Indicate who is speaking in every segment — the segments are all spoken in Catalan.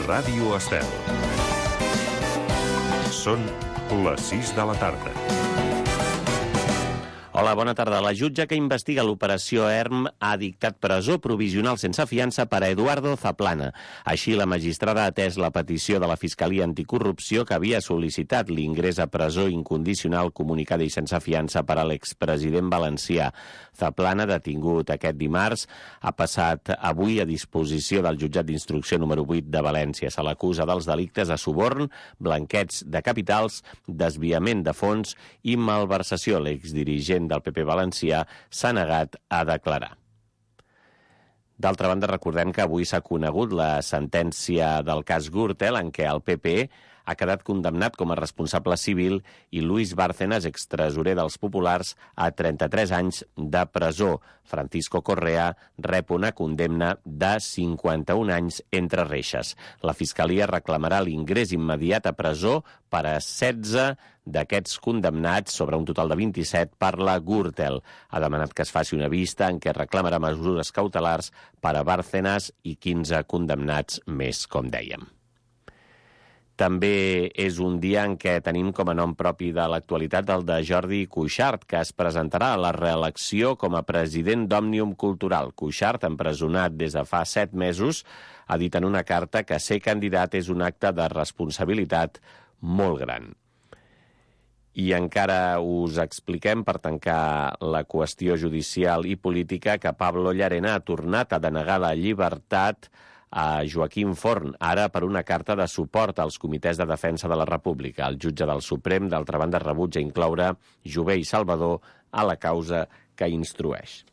Speaker 1: Ràdio Estel. Són les 6 de la tarda.
Speaker 2: Hola, bona tarda. La jutge que investiga l'operació ERM ha dictat presó provisional sense fiança per a Eduardo Zaplana. Així, la magistrada ha atès la petició de la Fiscalia Anticorrupció que havia sol·licitat l'ingrés a presó incondicional comunicada i sense fiança per a l'expresident valencià. Zaplana, detingut aquest dimarts, ha passat avui a disposició del jutjat d'instrucció número 8 de València. Se l'acusa dels delictes de suborn, blanqueig de capitals, desviament de fons i malversació. L'exdirigent del PP valencià s'ha negat a declarar. D'altra banda, recordem que avui s'ha conegut la sentència del cas Gürtel, en què el PP ha quedat condemnat com a responsable civil i Luis Bárcenas, extresorer dels Populars, a 33 anys de presó. Francisco Correa rep una condemna de 51 anys entre reixes. La Fiscalia reclamarà l'ingrés immediat a presó per a 16 d'aquests condemnats sobre un total de 27 per la Gürtel. Ha demanat que es faci una vista en què reclamarà mesures cautelars per a Bárcenas i 15 condemnats més, com dèiem. També és un dia en què tenim com a nom propi de l'actualitat el de Jordi Cuixart, que es presentarà a la reelecció com a president d'Òmnium Cultural. Cuixart, empresonat des de fa 7 mesos, ha dit en una carta que ser candidat és un acte de responsabilitat molt gran. I encara us expliquem, per tancar la qüestió judicial i política, que Pablo Llarena ha tornat a denegar la llibertat a Joaquim Forn, ara per una carta de suport als comitès de defensa de la República. El jutge del Suprem, d'altra banda, rebutja incloure Jové i Salvador a la causa que instrueix.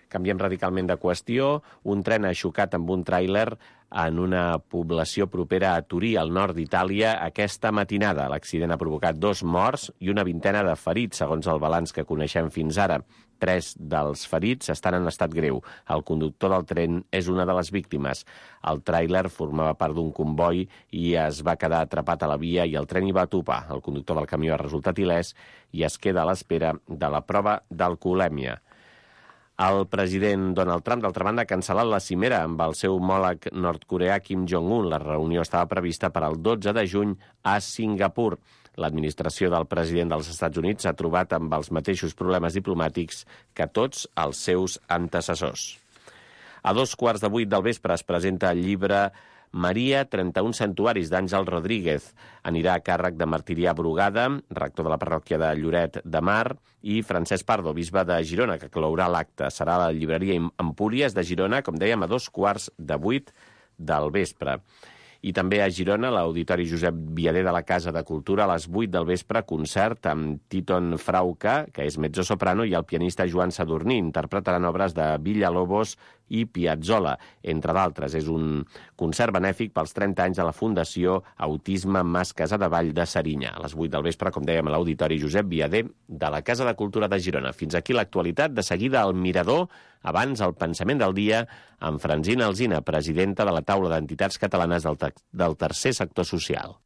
Speaker 2: Canviem radicalment de qüestió. Un tren ha xocat amb un tràiler en una població propera a Turí, al nord d'Itàlia, aquesta matinada. L'accident ha provocat 2 morts i una vintena de ferits, segons el balanç que coneixem fins ara. 3 dels ferits estan en estat greu. El conductor del tren és una de les víctimes. El tràiler formava part d'un comboi i es va quedar atrapat a la via i el tren hi va topar. El conductor del camió ha resultat il·lès i es queda a l'espera de la prova d'alcoholèmia. El president Donald Trump, d'altra banda, ha cancel·lat la cimera amb el seu homòleg nord-coreà Kim Jong-un. La reunió estava prevista per al 12 de juny a Singapur. L'administració del president dels Estats Units s'ha trobat amb els mateixos problemes diplomàtics que tots els seus antecessors. A 7:15 del vespre es presenta el llibre Maria, 31 santuaris, d'Àngel Rodríguez. Anirà a càrrec de Martirià Brugada, rector de la parròquia de Lloret de Mar, i Francesc Pardo, bisbe de Girona, que clourà l'acte. Serà a la llibreria Empúries de Girona, com dèiem, a 7:15 del vespre. I també a Girona, l'Auditori Josep Viader de la Casa de Cultura, a les 8 del vespre, concert amb Titon Frauca, que és mezzosoprano, i el pianista Joan Sadurní. Interpretaran obres de Villalobos i Piazzolla, entre d'altres. És un concert benèfic pels 30 anys de la Fundació Autisme Mas Casadevall de Serinyà. A les 8 del vespre, com dèiem, a l'Auditori Josep Viader de la Casa de Cultura de Girona. Fins aquí l'actualitat. De seguida, al Mirador. Abans, el pensament del dia amb Francina Alsina, presidenta de la Taula d'Entitats Catalanes del Tercer Sector Social.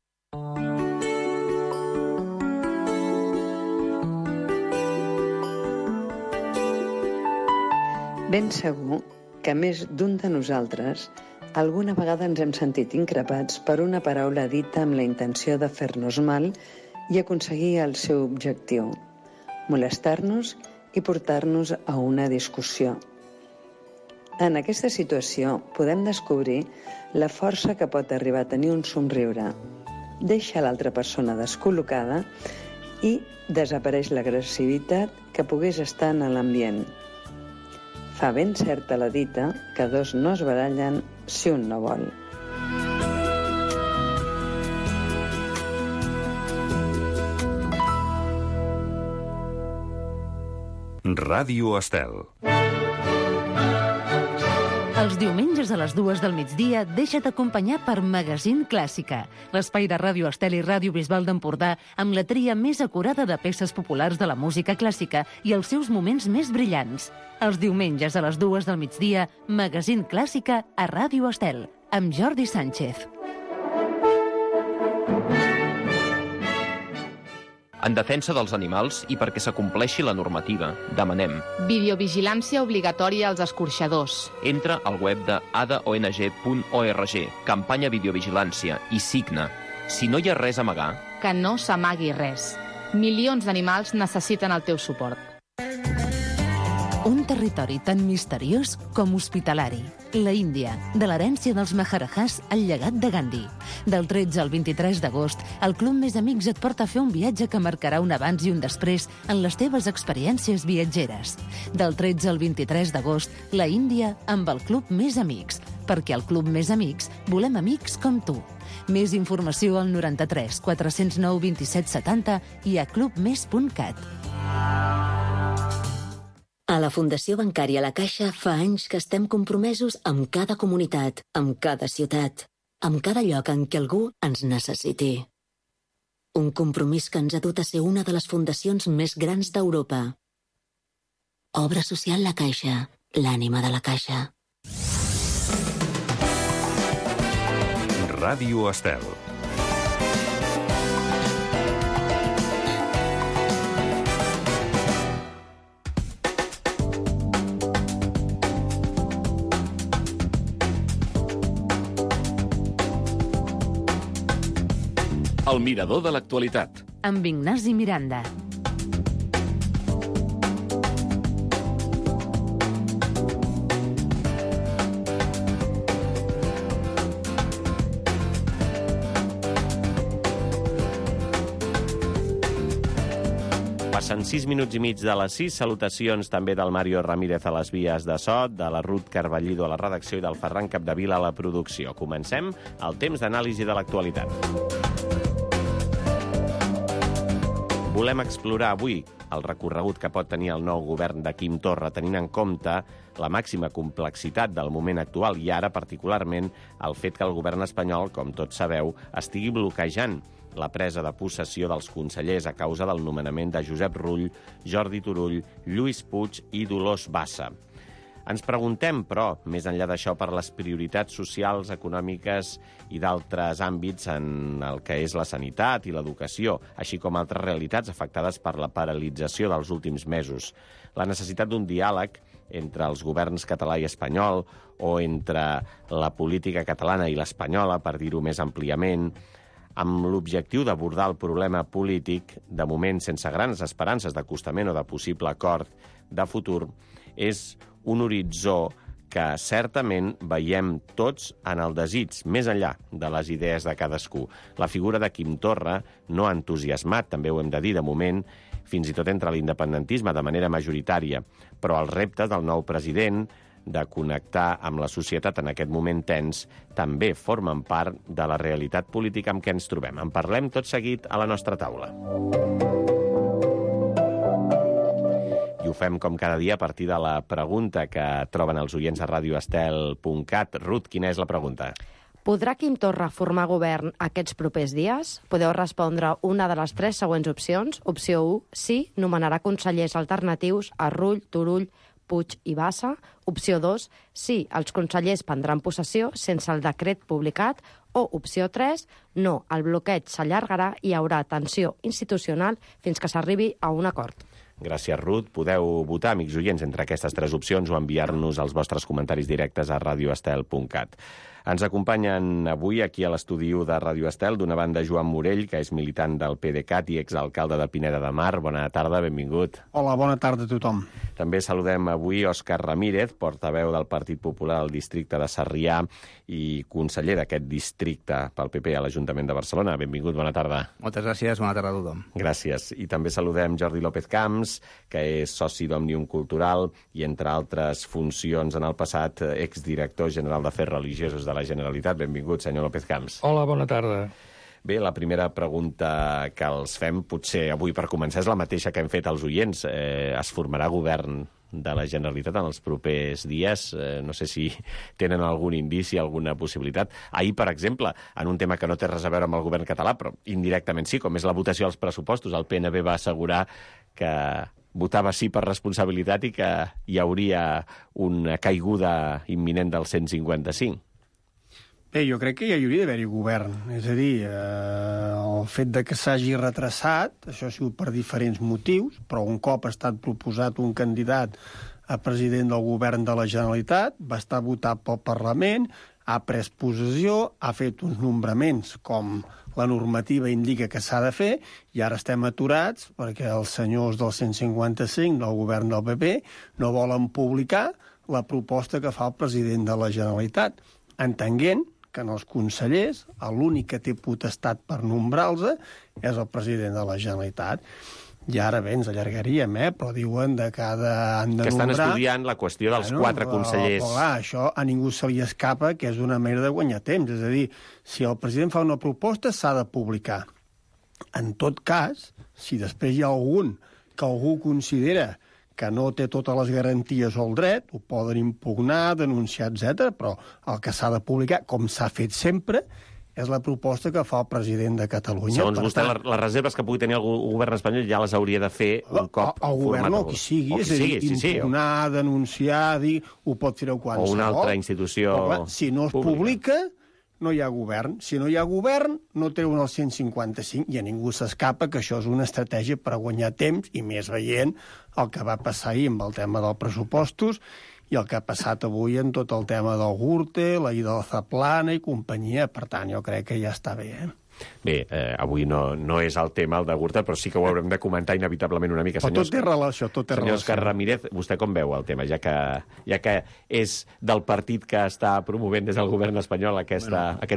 Speaker 3: Ben segur que més d'un de nosaltres alguna vegada ens hem sentit increpats per una paraula dita amb la intenció de fer-nos mal i aconseguir el seu objectiu, molestar-nos i portar-nos a una discussió. En aquesta situació podem descobrir la força que pot arribar a tenir un somriure. Deixa l'altra persona descol·locada i desapareix l'agressivitat que pogués estar en l'ambient. Fa ben certa la dita que 2 no es barallen si un no vol.
Speaker 1: Ràdio Estel.
Speaker 4: Els diumenges a les 2 del migdia deixa't acompanyar per Magazín Clàssica, l'espai de Ràdio Estel i Ràdio Bisbal d'Empordà amb la tria més acurada de peces populars de la música clàssica i els seus moments més brillants. Els diumenges a les 2 del migdia, Magazín Clàssica a Ràdio Estel, amb Jordi Sánchez.
Speaker 5: En defensa dels animals i perquè s'acompleixi la normativa, demanem
Speaker 6: videovigilància obligatòria als escorxadors.
Speaker 5: entra al web de adaong.org, campanya videovigilància, i signa. Si no hi ha res a amagar,
Speaker 6: Que no s'amagui res. Milions d'animals necessiten el teu suport.
Speaker 4: Un territori tan misteriós com hospitalari. La Índia, de l'herència dels Maharajas al llegat de Gandhi. Del 13 al 23 d'agost, el Club Més Amics et porta a fer un viatge que marcarà un abans i un després en les teves experiències viatgeres. Del 13 al 23 d'agost, la Índia amb el Club Més Amics. Perquè al Club Més Amics volem amics com tu. Més informació al 93 409 27 70 i a clubmes.cat.
Speaker 7: A la Fundació Bancària La Caixa fa anys que estem compromesos amb cada comunitat, amb cada ciutat, amb cada lloc en què algú ens necessiti. Un compromís que ens ha dut a ser una de les fundacions més grans d'Europa. Obra social La Caixa, l'ànima de la Caixa.
Speaker 1: Ràdio Estel.
Speaker 2: El mirador de l'actualitat.
Speaker 4: Amb Ignasi Miranda.
Speaker 2: Passen 6 minuts i mig de les 6. Salutacions també del Mario Ramírez a les vies de so, de la Ruth Carballido a la redacció i del Ferran Capdevila a la producció. Comencem el temps d'anàlisi de l'actualitat. Volem explorar avui el recorregut que pot tenir el nou govern de Quim Torra, tenint en compte la màxima complexitat del moment actual i ara, particularment, el fet que el govern espanyol, com tots sabeu, estigui bloquejant la presa de possessió dels consellers a causa del nomenament de Josep Rull, Jordi Turull, Lluís Puig i Dolors Bassa. Ens preguntem, però, més enllà d'això, per les prioritats socials, econòmiques i d'altres àmbits en el que és la sanitat i l'educació, així com altres realitats afectades per la paralització dels últims mesos. La necessitat d'un diàleg entre els governs català i espanyol o entre la política catalana i l'espanyola, per dir-ho més àmpliament, amb l'objectiu d'abordar el problema polític, de moment sense grans esperances d'acostament o de possible acord de futur, és un horitzó que certament veiem tots en el desig, més enllà de les idees de cadascú. La figura de Quim Torra no ha entusiasmat, també ho hem de dir, de moment, fins i tot entre l'independentisme de manera majoritària, però els reptes del nou president de connectar amb la societat en aquest moment tens també formen part de la realitat política amb què ens trobem. En parlem tot seguit a la nostra taula. I ho fem com cada dia a partir de la pregunta que troben els oients a radioestel.cat. Ruth, quina és la pregunta?
Speaker 8: Podrà Quim Torra formar govern aquests propers dies? Podeu respondre una de les 3 següents opcions. Opció 1, sí, nomenarà consellers alternatius a Rull, Turull, Puig i Bassa. Opció 2, sí, els consellers prendran possessió sense el decret publicat. O opció 3, no, el bloqueig s'allargarà i hi haurà tensió institucional fins que s'arribi a un acord.
Speaker 2: Gràcies, Ruth. Podeu votar, amics oients, entre aquestes 3 opcions o enviar-nos els vostres comentaris directes a radioestel.cat. Ens acompanyen avui aquí a l'estudi de Ràdio Estel, d'una banda Joan Morell, que és militant del PDeCAT i exalcalde de Pineda de Mar. Bona tarda, benvingut.
Speaker 9: Hola, bona tarda a tothom.
Speaker 2: També saludem avui Òscar Ramírez, portaveu del Partit Popular al districte de Sarrià i conseller d'aquest districte pel PP a l'Ajuntament de Barcelona. Benvingut, bona tarda.
Speaker 9: Moltes gràcies, bona tarda a tothom.
Speaker 2: Gràcies. I també saludem Jordi López Camps, que és soci d'Òmnium Cultural i, entre altres funcions en el passat, exdirector general d'Afers Religiosos de la Generalitat. Benvingut, senyor López Camps.
Speaker 10: Hola, bona tarda.
Speaker 2: Bé, la primera pregunta que els fem, potser avui per començar, és la mateixa que hem fet als oients. Es formarà govern de la Generalitat en els propers dies? No sé si tenen algun indici, alguna possibilitat. Ahir, per exemple, en un tema que no té res a veure amb el govern català, però indirectament sí, com és la votació als pressupostos, el PNB va assegurar que votava sí per responsabilitat i que hi hauria una caiguda imminent del 155.
Speaker 9: Bé, jo crec que ja hi hauria d'haver-hi govern. És a dir, el fet de que s'hagi retrasat, això ha sigut per diferents motius, però un cop ha estat proposat un candidat a president del govern de la Generalitat, va estar votat pel Parlament, ha pres possessió, ha fet uns nombraments com la normativa indica que s'ha de fer, i ara estem aturats perquè els senyors del 155 del govern del PP no volen publicar la proposta que fa el president de la Generalitat, entenent que en els consellers l'únic que té potestat per nombrar-los és el president de la Generalitat. I ara bé, ens allargaríem, però diuen de cada han de
Speaker 2: que estan
Speaker 9: nombrar...
Speaker 2: estudiant la qüestió dels 4 consellers.
Speaker 9: Però clar, això a ningú se li escapa que és una manera de guanyar temps. És a dir, si el president fa una proposta, s'ha de publicar. En tot cas, si després hi ha que algú considera que no té totes les garanties o el dret, ho poden impugnar, denunciar, etc. Però el que s'ha de publicar, com s'ha fet sempre, és la proposta que fa el president de Catalunya.
Speaker 2: Segons vostè, les reserves que pugui tenir el govern espanyol ja les hauria de fer un cop
Speaker 9: el govern
Speaker 2: format
Speaker 9: o qui sigui, és a dir, impugnar, denunciar, dir, ho pot fer qualsevol.
Speaker 2: O una altra institució
Speaker 9: però, clar, si no es publica, no hi ha govern. Si no hi ha govern, no treuen el 155 i a ningú s'escapa que això és una estratègia per guanyar temps, i més veient el que va passar ahir amb el tema dels pressupostos i el que ha passat avui en tot el tema del Gürtel, la ida de la Zaplana i companyia. Per tant, jo crec que ja està bé,
Speaker 2: Bé, avui no és el tema, el de Gürtel, però sí que ho haurem de comentar inevitablement una mica.
Speaker 9: Però tot té relació,
Speaker 2: Senyor Òscar Ramírez, vostè com veu el tema, ja que és del partit que està promovent des del govern espanyol aquest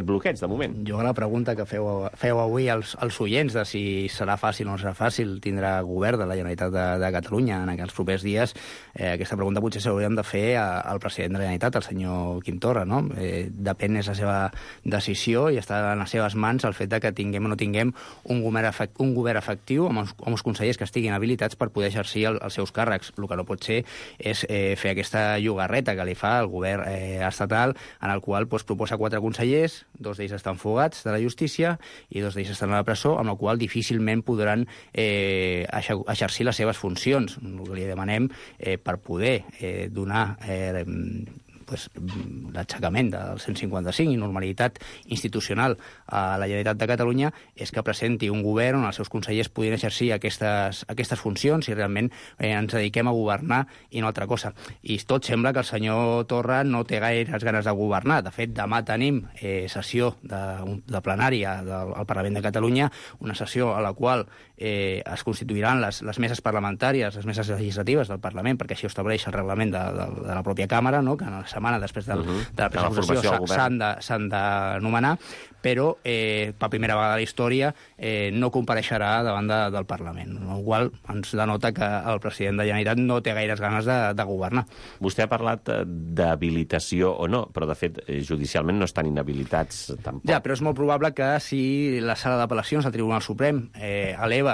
Speaker 2: bloqueig, de moment?
Speaker 10: Jo la pregunta que feu avui als oients de si serà fàcil o no serà fàcil tindre govern de la Generalitat de Catalunya en aquests propers dies, aquesta pregunta potser s'hauríem de fer al president de la Generalitat, el senyor Quim Torra, no? Depèn, és la seva decisió i està en les seves mans el fet de que tinguem o no tinguem un govern efectiu amb els consellers que estiguin habilitats per poder exercir els seus càrrecs. El que no pot ser és fer aquesta llogarreta que li fa el govern estatal, en el qual proposa 4 consellers, 2 d'ells estan fugats de la justícia i 2 d'ells estan a la presó, amb la qual difícilment podran exercir les seves funcions. El que li demanem per poder donar l'aixecament del 155 i normalitat institucional a la Generalitat de Catalunya és que presenti un govern on els seus consellers puguin exercir aquestes funcions i realment ens dediquem a governar i no altra cosa. I tot sembla que el senyor Torra no té gaires ganes de governar. De fet, demà tenim sessió de plenària del Parlament de Catalunya, una sessió a la qual es constituiran les meses parlamentàries, les meses legislatives del Parlament, perquè així ho estableix el reglament de la pròpia Càmera, no? Que en la setmana després de la presentació s'han d'anomenar, però per primera vegada a la història no compareixerà davant del Parlament, el qual ens denota que el president de la Generalitat no té gaires ganes de governar.
Speaker 2: Vostè ha parlat d'habilitació o no, però de fet judicialment no estan inhabilitats tampoc.
Speaker 10: Ja, però és molt probable que si la sala d'apel·lacions del Tribunal Suprem eleva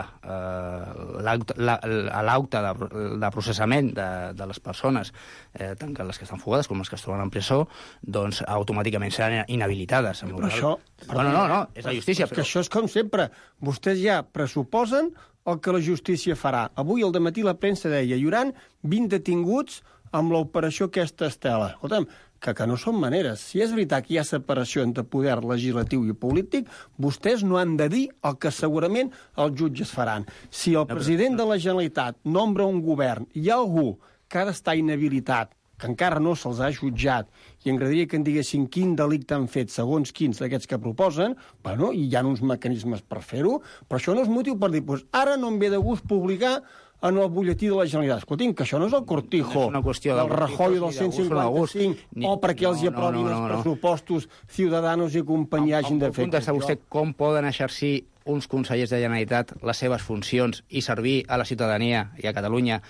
Speaker 10: l'acte de processament de les persones, tant que les que estan fugades com les que es troben en presó, doncs automàticament seran inhabilitades.
Speaker 9: Però això...
Speaker 10: No, és la justícia.
Speaker 9: Que això és com sempre. Vostès ja pressuposen el que la justícia farà. Avui al dematí la premsa deia hi haurà 20 detinguts amb l'operació aquesta Estela. Escolta'm, que no són maneres. Si és veritat que hi ha separació entre poder legislatiu i polític, vostès no han de dir el que segurament els jutges faran. Si el president de la Generalitat nombra un govern i hi ha algú que ha d'estar inhabilitat, que encara no se'ls ha jutjat, i m'agradaria que en diguessin quin delicte han fet segons quins d'aquests que proposen, bueno, i hi ha uns mecanismes per fer-ho, però això no és motiu per dir, doncs ara no em ve de gust publicar en el butlletí de la Generalitat. Escolti'm, que això no és el cortijo del Rajoy del 155 o perquè els hi aprovin els pressupostos Ciudadanos i companyia hagin de fer.
Speaker 10: Em contesta vostè com poden exercir uns consellers de Generalitat les seves funcions i servir a la ciutadania i a Catalunya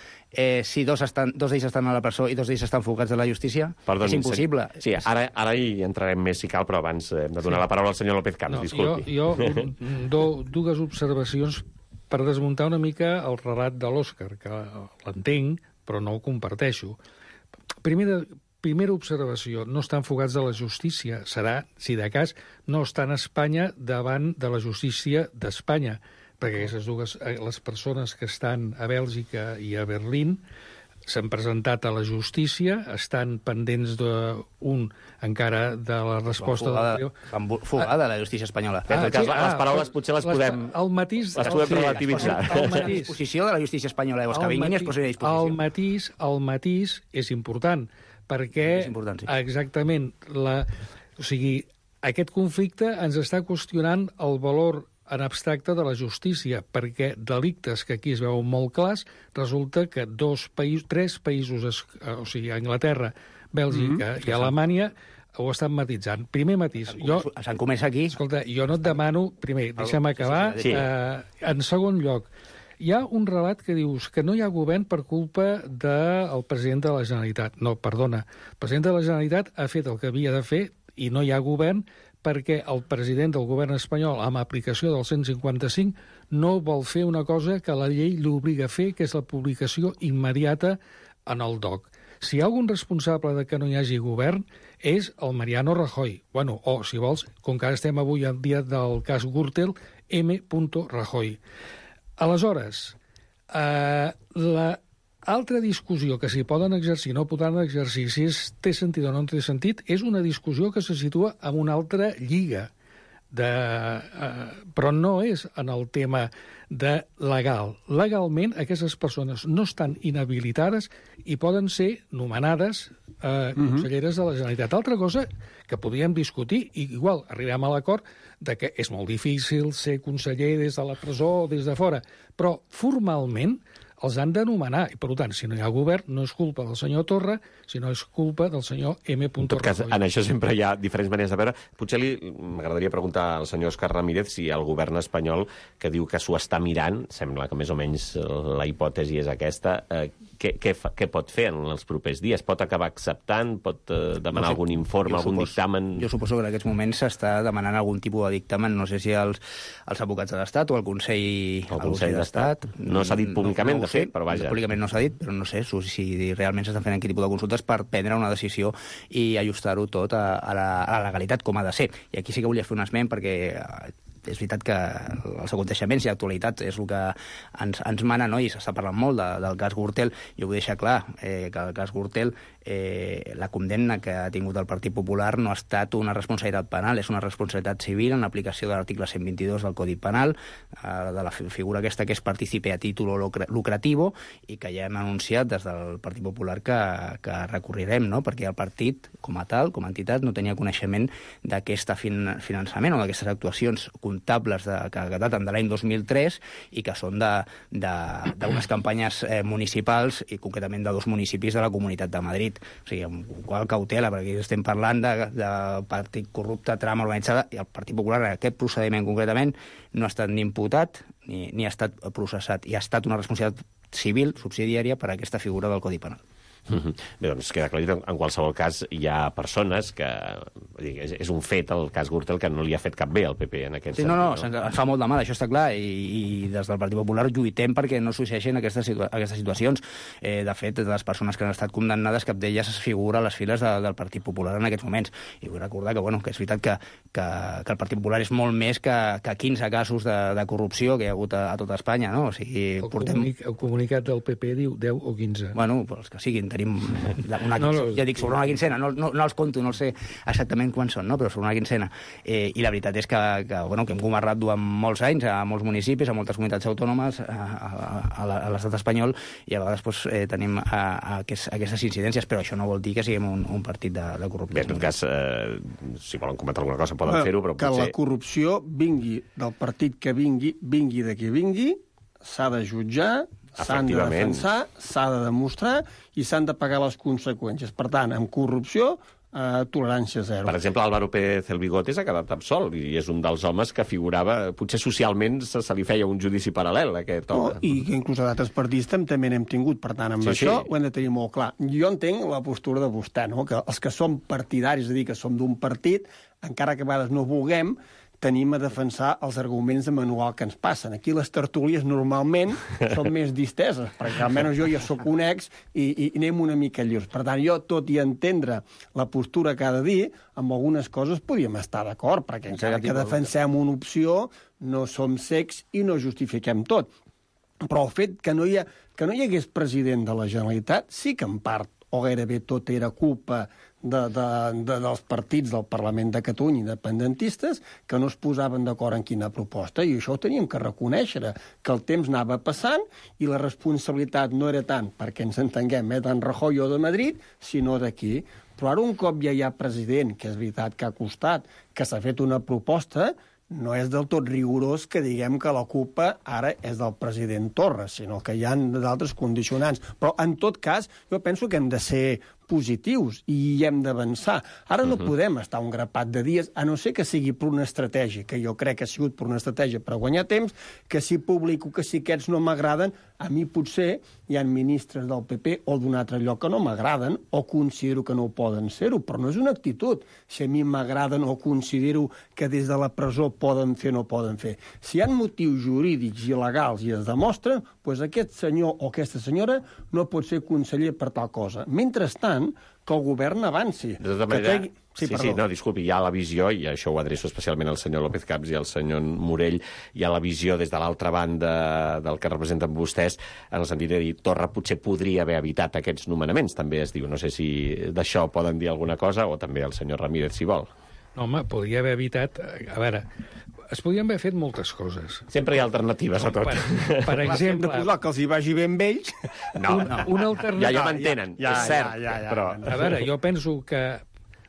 Speaker 10: si dos d'ells estan a la presó i 2 d'ells estan fugats de la justícia?
Speaker 2: Perdoni,
Speaker 10: és impossible.
Speaker 2: Sí, ara hi entrarem més si cal, però abans hem de donar la paraula al senyor López Camps, disculpi.
Speaker 11: Jo dues observacions per desmuntar una mica el relat de l'Òscar, que l'entenc, però no ho comparteixo. Primera observació, no estan fugats de la justícia. Serà, si de cas, no estan a Espanya davant de la justícia d'Espanya, perquè aquestes dues, les persones que estan a Bèlgica i a Berlín, s'han presentat a la justícia, estan pendents encara de la resposta...
Speaker 10: Fugada la justícia espanyola.
Speaker 2: Les paraules potser les podem relativitzar.
Speaker 10: La disposició de la justícia espanyola, que vinguin i es posin a disposició.
Speaker 11: El matís és important, perquè exactament aquest conflicte ens està qüestionant el valor en abstracte de la justícia, perquè delictes que aquí es veuen molt clars, resulta que tres països, o sigui, Anglaterra, Bèlgica i Alemanya, ho estan matitzant. Primer matís.
Speaker 10: Se'n comença aquí.
Speaker 11: Escolta, jo no et demano... Primer, deixa'm acabar. En segon lloc, hi ha un relat que dius que no hi ha govern per culpa del president de la Generalitat. No, perdona. El president de la Generalitat ha fet el que havia de fer i no hi ha govern perquè el president del govern espanyol, amb aplicació del 155, no vol fer una cosa que la llei l'obliga a fer, que és la publicació immediata en el DOC. Si hi ha algun responsable de que no hi hagi govern, és el Mariano Rajoy. Bueno, o, si vols, com que ara estem avui al dia del cas Gürtel, M. Rajoy. Aleshores, l'altra discussió que s'hi poden exercir, no poden exercir, si té sentit o no té sentit, és una discussió que se situa en una altra lliga, però no és en el tema de legal. Legalment, aquestes persones no estan inhabilitades i poden ser nomenades conselleres de la Generalitat. Altra cosa que podríem discutir, i igual arribem a l'acord de que és molt difícil ser conseller des de la presó o des de fora, però formalment els han de nomenar, i per tant, si no hi ha govern, no és culpa del senyor Torra, sinó és culpa del senyor M.
Speaker 2: En tot cas, en això sempre hi ha diferents maneres de veure. Potser m'agradaria preguntar al senyor Òscar Ramírez si el govern espanyol, que diu que s'ho està mirant, sembla que més o menys la hipòtesi és aquesta, què pot fer en els propers dies? Pot acabar acceptant? Pot demanar algun informe, algun dictamen?
Speaker 10: Jo suposo que en aquests moments s'està demanant algun tipus de dictamen, no sé si els advocats de l'Estat o el Consell d'Estat.
Speaker 2: No s'ha dit públicament, de fet, però vaja.
Speaker 10: Públicament no s'ha dit, però no sé si realment s'estan fent aquest tipus de consultes per prendre una decisió i ajustar-ho tot a la legalitat, com ha de ser. I aquí sí que volia fer un esment, perquè és veritat que els aconteixements i l'actualitat és el que ens mana, no? I s'està parlant molt del cas Gürtel. Jo vull deixar clar que el cas Gürtel, la condemna que ha tingut el Partit Popular no ha estat una responsabilitat penal, és una responsabilitat civil en l'aplicació de l'article 122 del Codi Penal, de la figura aquesta que és partícipe a títol lucrativo, i que ja hem anunciat des del Partit Popular que recorrirem, no? Perquè el partit, com a tal, com a entitat, no tenia coneixement d'aquest finançament o d'aquestes actuacions comptables que daten de l'any 2003 i que són d'unes campanyes municipals i concretament de 2 municipis de la Comunitat de Madrid. O sigui, amb qual cautela, perquè aquí estem parlant de partit corrupte, trama organitzada, i el Partit Popular en aquest procediment concretament no ha estat ni imputat ni ha estat processat, i ha estat una responsabilitat civil subsidiària per a aquesta figura del Codi Penal.
Speaker 2: Bé, doncs queda clar, en qualsevol cas hi ha persones que... És un fet, el cas Gürtel, que no li ha fet cap bé al PP en aquest sentit.
Speaker 10: No, ens fa molt de mal, això està clar, i des del Partit Popular lluitem perquè no succeeixin aquestes situacions. De fet, de les persones que han estat condemnades, cap d'elles es figura a les files del Partit Popular en aquests moments. I vull recordar que és veritat que el Partit Popular és molt més que 15 casos de corrupció que hi ha hagut a tota Espanya, no? O sigui,
Speaker 11: el comunicat del PP diu 10 o 15.
Speaker 10: Bueno, els que siguin, tenim ja dic, sobre una quincena, no els conto, no sé exactament quants són, no? Però sobre una quincena. I la veritat és que hem governat durant molts anys a molts municipis, a moltes comunitats autònomes, a l'estat espanyol, i a vegades tenim aquestes incidències, però això no vol dir que siguem un partit de corrupció.
Speaker 2: Bé, en tot cas, si volen comentar alguna cosa poden fer-ho, però potser...
Speaker 9: Que la corrupció vingui del partit que vingui de qui vingui, s'ha de jutjar, s'han de defensar, s'ha de demostrar i s'han de pagar les conseqüències. Per tant, amb corrupció, tolerància zero.
Speaker 2: Per exemple, Álvaro Pérez el Bigotes ha quedat absolt i és un dels homes que figurava, potser socialment se li feia un judici paral·lel, aquest home.
Speaker 9: I que inclús a d'altres partits també n'hem tingut. Per tant, amb això ho hem de tenir molt clar. Jo entenc la postura de vostè, no? Que els que som partidaris, és a dir, que som d'un partit, encara que a vegades no vulguem, tenim a defensar els arguments de manual que ens passen. Aquí les tertúlies normalment són més disteses, perquè almenys jo ja sóc un ex i anem una mica lliures. Per tant, jo, tot i entendre la postura que ha de dir, amb algunes coses podríem estar d'acord, perquè encara que defensem una opció, no som cecs i no justifiquem tot. Però el fet que no hi ha que no hi hagués president de la Generalitat, sí que en part o gairebé tot era culpa dels partits del Parlament de Catalunya independentistes que no es posaven d'acord en quina proposta, i això ho teníem que reconèixer, que el temps anava passant i la responsabilitat no era tant, perquè ens entenguem, d'en Rajoy o de Madrid, sinó d'aquí. Però ara un cop ja hi ha president, que és veritat que ha costat, que s'ha fet una proposta, no és del tot rigorós que diguem que la culpa ara és del president Torra, sinó que hi ha d'altres condicionants. Però, en tot cas, jo penso que hem de ser positius i hi hem d'avançar. Ara no podem estar un grapat de dies, a no ser que sigui per una estratègia, que jo crec que ha sigut per una estratègia per guanyar temps, que si publico que si aquests no m'agraden, a mi potser hi ha ministres del PP o d'un altre lloc que no m'agraden o considero que no poden ser-ho, però no és una actitud. Si a mi m'agraden o considero que des de la presó poden fer o no poden fer. Si hi ha motius jurídics i legals i es demostren, doncs aquest senyor o aquesta senyora no pot ser conseller per tal cosa. Mentrestant, que el govern avanci.
Speaker 2: De tota manera, disculpi, hi ha la visió, i això ho adreço especialment al senyor López Camps i al senyor Morell, hi ha la visió des de l'altra banda del que representen vostès, en el sentit de dir, Torra potser podria haver evitat aquests nomenaments, també es diu. No sé si d'això poden dir alguna cosa, o també el senyor Ramírez, si vol.
Speaker 11: No, home, podria haver evitat... A veure, es podien haver fet moltes coses.
Speaker 2: Sempre hi ha alternatives a tot.
Speaker 11: Per exemple...
Speaker 9: De posar que els hi vagi bé amb ells...
Speaker 11: Una alternativa...
Speaker 2: Ja m'entenen, és cert. Però...
Speaker 11: A veure, jo penso que...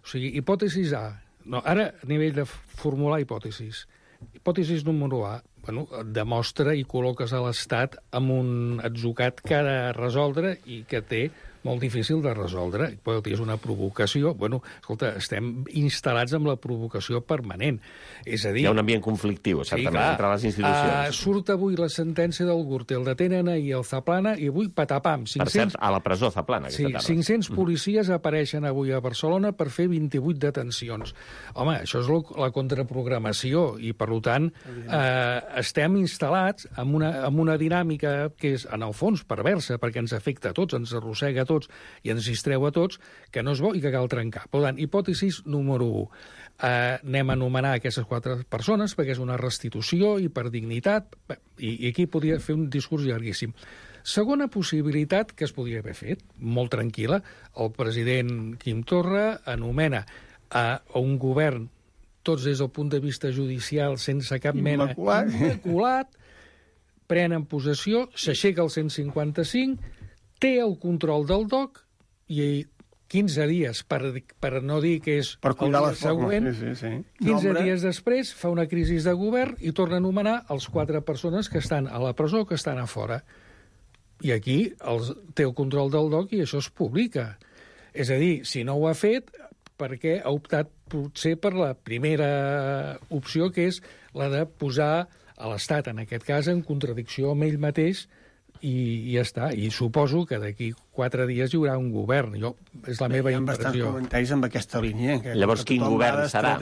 Speaker 11: O sigui, hipòtesis A. No, ara, a nivell de formular hipòtesis. Hipòtesis número A. Bueno, demostra i col·loques a l'Estat amb un atzucat que ha de resoldre i que té molt difícil de resoldre. És una provocació. Bueno, escolta, estem instal·lats amb la provocació permanent. És a dir...
Speaker 2: Hi ha un ambient conflictiu, certament, entre les institucions.
Speaker 11: Surt avui la sentència del Gürtel, detenen ahir el Zaplana i avui, patapam. 500...
Speaker 2: Per cert, a la presó Zaplana, aquesta tarda.
Speaker 11: 500 policies apareixen avui a Barcelona per fer 28 detencions. Home, això és la contraprogramació i, per tant, estem instal·lats en una dinàmica que és, en el fons, perversa, perquè ens afecta a tots, ens arrossega a tots i ens distreu a tots, que no és bo i que cal trencar. Per tant, hipòtesis número 1. Anem a anomenar aquestes 4 persones perquè és una restitució i per dignitat, i aquí podria fer un discurs llarguíssim. Segona possibilitat que es podria haver fet, molt tranquil·la, el president Quim Torra anomena a un govern, tots des del punt de vista judicial, sense cap mena... Immaculat, prenen possessió, s'aixeca el 155, té el control del DOC i 15 dies, per no dir que és
Speaker 9: per
Speaker 11: el dia següent, 15 dies després fa una crisi de govern i torna a anomenar els 4 persones que estan a la presó, que estan a fora. I aquí té el control del DOC i això es publica. És a dir, si no ho ha fet, perquè ha optat potser per la primera opció, que és la de posar a l'Estat, en aquest cas, en contradicció amb ell mateix, i ja està. I suposo que d'aquí 4 dies hi haurà un govern. És la meva impressió. Hi ha bastants
Speaker 9: comentaris amb aquesta línia.
Speaker 2: Llavors, quin govern serà?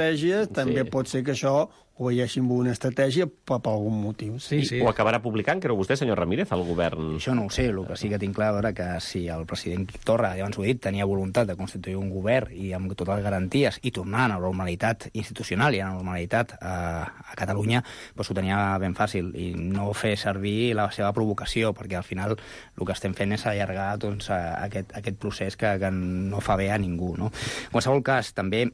Speaker 9: També pot ser que això ho veiéssim amb una estratègia per algun motiu.
Speaker 2: Sí. Ho acabarà publicant, creu vostè, senyor Ramírez, el govern?
Speaker 10: Això no ho sé, el que sí que tinc clar és que si el president Torra, ja abans ho he dit, tenia voluntat de constituir un govern i amb totes les garanties i tornar a la normalitat institucional i a la normalitat a Catalunya, doncs ho tenia ben fàcil i no fer servir la seva provocació, perquè al final el que estem fent és allargar aquest procés que no fa bé a ningú. No? En qualsevol cas, també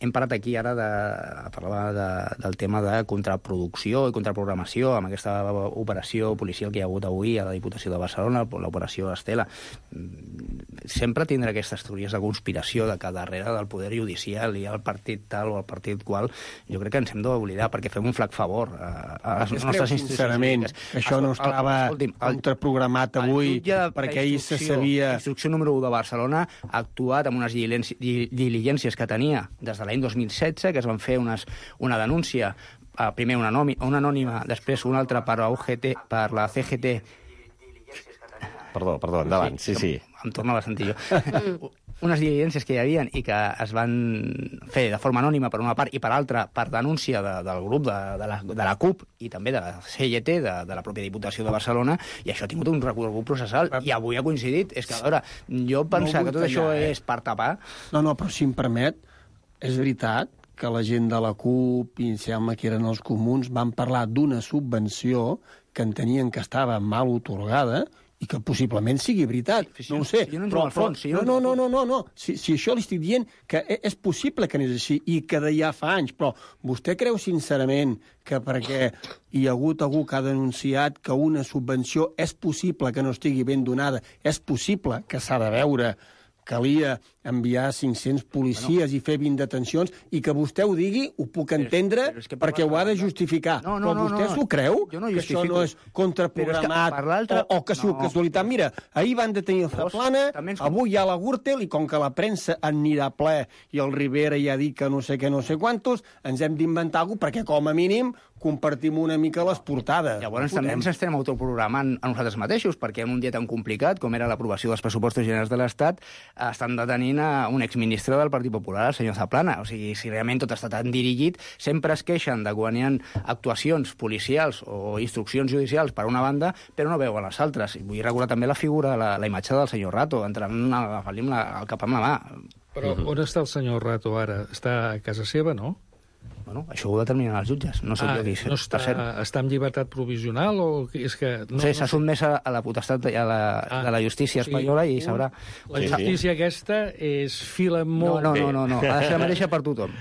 Speaker 10: hem parlat aquí ara del tema de contraproducció i contraprogramació amb aquesta operació policial que hi ha hagut avui a la Diputació de Barcelona, l'operació Estela. Sempre tindrà aquestes teories de conspiració de que darrere del poder judicial hi ha el partit tal o el partit qual. Jo crec que ens hem d'oblidar perquè fem un flac favor a les nostres institucions.
Speaker 9: Sincerament, això no estava contraprogramat avui perquè ahir se sabia...
Speaker 10: Instrucció número 1 de Barcelona ha actuat amb unes diligències que tenia des de l'any 2016, que es van fer una denúncia, primer una anònima, després una altra per la CGT.
Speaker 2: Perdó, endavant, sí.
Speaker 10: Em tornava a sentir jo. Unes diligències que hi havia i que es van fer de forma anònima per una part i per altra per denúncia del grup de la CUP i també de la CGT, de la pròpia Diputació de Barcelona, i això ha tingut un recorregut processal i avui ha coincidit. És que, a veure, jo pensava que tot això és per tapar...
Speaker 9: No, però si em permet, és veritat que la gent de la CUP, i sembla que eren els comuns, van parlar d'una subvenció que entenien que estava mal otorgada i que possiblement sigui veritat. No ho sé.
Speaker 10: No,
Speaker 9: si això li estic dient que és possible que anés així i que de ja fa anys, però vostè creu sincerament que perquè hi ha hagut algú que ha denunciat que una subvenció és possible que no estigui ben donada, és possible que s'ha de veure, calia enviar 500 policies i fer 20 detencions, i que vostè ho digui, ho puc entendre, perquè ho ha de justificar. Però vostè s'ho creu? Que això no és contraprogramat o que és casualitat? Mira, ahir van detenir el Zaplana, avui hi ha la Gürtel, i com que la premsa anirà ple i el Rivera ja ha dit que no sé què, no sé quantos, ens hem d'inventar alguna cosa, perquè com a mínim compartim una mica les portades.
Speaker 10: Llavors també ens estem autoprogramant a nosaltres mateixos, perquè en un dia tan complicat com era l'aprovació dels pressupostos generals de l'Estat, estan detenint a un exministre del Partit Popular, el senyor Zaplana. O sigui, si realment tot està tan dirigit, sempre es queixen de quan hi ha actuacions policials o instruccions judicials per una banda, però no veuen les altres. I vull recordar també la figura, la imatge del senyor Rato, entrant el cap amb la mà.
Speaker 11: Però on està el senyor Rato ara? Està a casa seva, no?
Speaker 10: Bueno, això ho determinen els jutges. No sé què dir.
Speaker 11: No està en llibertat provisional o és que...
Speaker 10: No sé, s'ha sotmès a la potestat de la justícia espanyola i sabrà...
Speaker 11: La justícia aquesta és fila molt bé.
Speaker 10: No. Ha de ser la mateixa per tothom.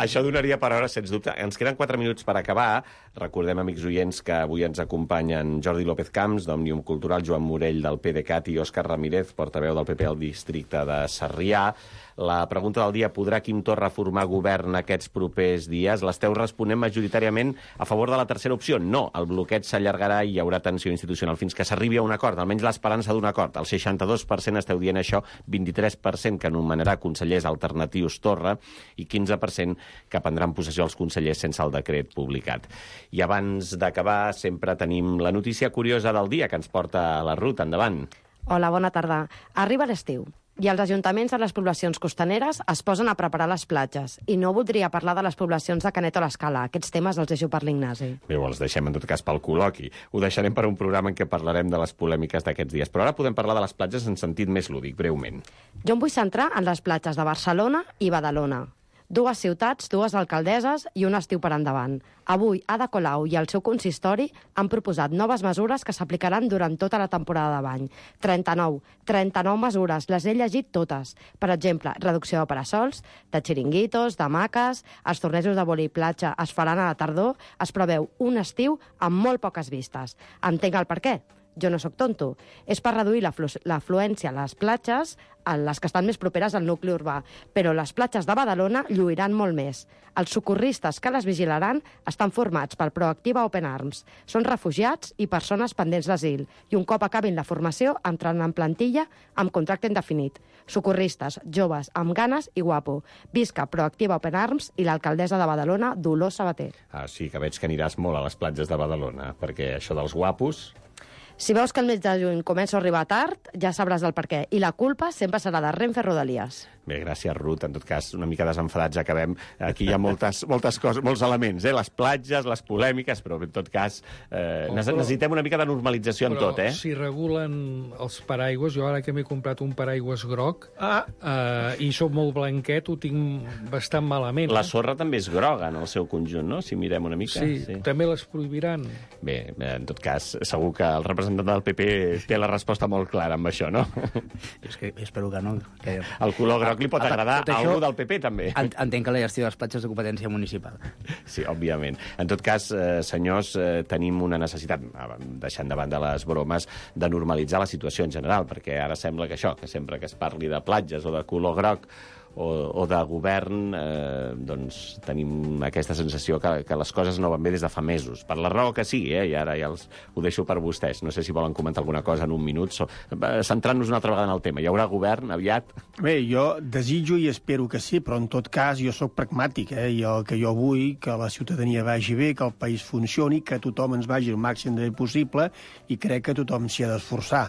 Speaker 2: Això donaria per hores, sens dubte. Ens queden 4 minuts per acabar. Recordem, amics oients, que avui ens acompanyen Jordi López Camps, d'Òmnium Cultural, Joan Morell, del PDeCAT, i Òscar Ramírez, portaveu del PP al districte de Sarrià. La pregunta del dia: podrà Quim Torra formar govern aquests propers dies? L'esteu responent majoritàriament a favor de la tercera opció. No, el bloqueig s'allargarà i hi haurà tensió institucional fins que s'arribi a un acord, almenys l'esperança d'un acord. El 62% esteu dient això, 23% que anomenarà consellers alternatius Torra i 15% que prendran possessió els consellers sense el decret publicat. I abans d'acabar, sempre tenim la notícia curiosa del dia que ens porta la Ruth. Endavant.
Speaker 8: Hola, bona tarda. Arriba l'estiu i els ajuntaments de les poblacions costaneres es posen a preparar les platges. I no voldria parlar de les poblacions de Canet o l'Escala. Aquests temes els deixo per l'Ignasi.
Speaker 2: Bé, els deixem en tot cas pel col·loqui. Ho deixarem per un programa en què parlarem de les polèmiques d'aquests dies. Però ara podem parlar de les platges en sentit més lúdic, breument.
Speaker 8: Jo em vull centrar en les platges de Barcelona i Badalona. 2 ciutats, 2 alcaldesses i un estiu per endavant. Avui, Ada Colau i el seu consistori han proposat noves mesures que s'aplicaran durant tota la temporada de bany. 39 mesures, les he llegit totes. Per exemple, reducció de parasols, de xiringuitos, d'hamaques, els tornejos de vòlei platja es faran a la tardor, es preveu un estiu amb molt poques vistes. Entenc el per què. Jo no sóc tonto. És per reduir l'afluència a les platges, a les que estan més properes al nucli urbà. Però les platges de Badalona lluiran molt més. Els socorristes que les vigilaran estan formats per Proactiva Open Arms. Són refugiats i persones pendents d'asil. I un cop acabin la formació, entraran en plantilla amb contracte indefinit. Socorristes, joves, amb ganes i guapo. Visca Proactiva Open Arms i l'alcaldessa de Badalona, Dolors Sabater.
Speaker 2: Sí, que veig que aniràs molt a les platges de Badalona, perquè això dels guapos...
Speaker 8: Si veus que el mes de juny comença a arribar tard, ja sabràs del per què. I la culpa sempre serà de Renfe Rodalies.
Speaker 2: Bé, gràcies, Ruth. En tot cas, una mica desenfadats acabem. Aquí hi ha moltes coses, molts elements, les platges, les polèmiques, però en tot cas necessitem una mica de normalització en tot,
Speaker 11: Però si regulen els paraigües, jo ara que m'he comprat un paraigües groc i sóc molt blanquet, ho tinc bastant malament.
Speaker 2: La sorra també és groga en el seu conjunt, no?, si mirem una mica.
Speaker 11: Sí, també les prohibiran.
Speaker 2: Bé, en tot cas, segur que el representant del PP té la resposta molt clara amb això, no?
Speaker 10: És que espero que no. Que...
Speaker 2: El color groc li pot agradar a algú del PP, també.
Speaker 10: Entenc que la gestió de les platges de competència municipal.
Speaker 2: Sí, òbviament. En tot cas, senyors, tenim una necessitat, deixant de banda les bromes, de normalitzar la situació en general, perquè ara sembla que això, que sempre que es parli de platges o de color groc o de govern, doncs tenim aquesta sensació que les coses no van bé des de fa mesos, per la raó que sigui, i ara ja ho deixo per vostès. No sé si volen comentar alguna cosa en un minut, centrant-nos una altra vegada en el tema. Hi haurà govern aviat?
Speaker 9: Bé, jo desitjo i espero que sí, però en tot cas jo sóc pragmàtic, i el que jo vull que la ciutadania vagi bé, que el país funcioni, que tothom ens vagi el màxim de bé possible, i crec que tothom s'hi ha d'esforçar.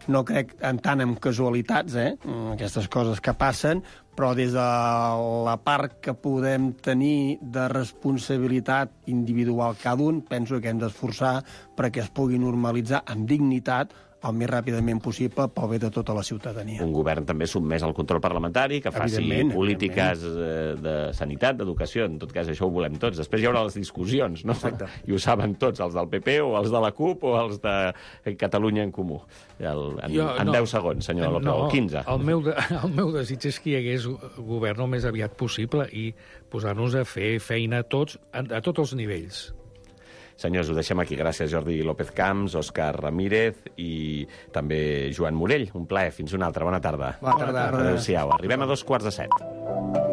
Speaker 9: No crec tant en casualitats, aquestes coses que passen, però des de la part que podem tenir de responsabilitat individual cada un, penso que hem d'esforçar perquè es pugui normalitzar amb dignitat el més ràpidament possible pel bé de tota la ciutadania.
Speaker 2: Un govern també sotmès al control parlamentari, que faci polítiques de sanitat, d'educació, en tot cas això ho volem tots. Després hi haurà les discussions, no?
Speaker 9: Exacte.
Speaker 2: I ho saben tots, els del PP o els de la CUP o els de Catalunya en Comú. En 10 segons, senyor López, o 15.
Speaker 11: El meu desig és que hi hagués govern el més aviat possible i posar-nos a fer feina a tots els nivells.
Speaker 2: Senyors, ho deixem aquí. Gràcies, Jordi López Camps, Òscar Ramírez i també Joan Morell. Un plaer. Fins una altra. Bona tarda.
Speaker 9: Bona tarda.
Speaker 2: Adéu-siau. Arribem a 2:45.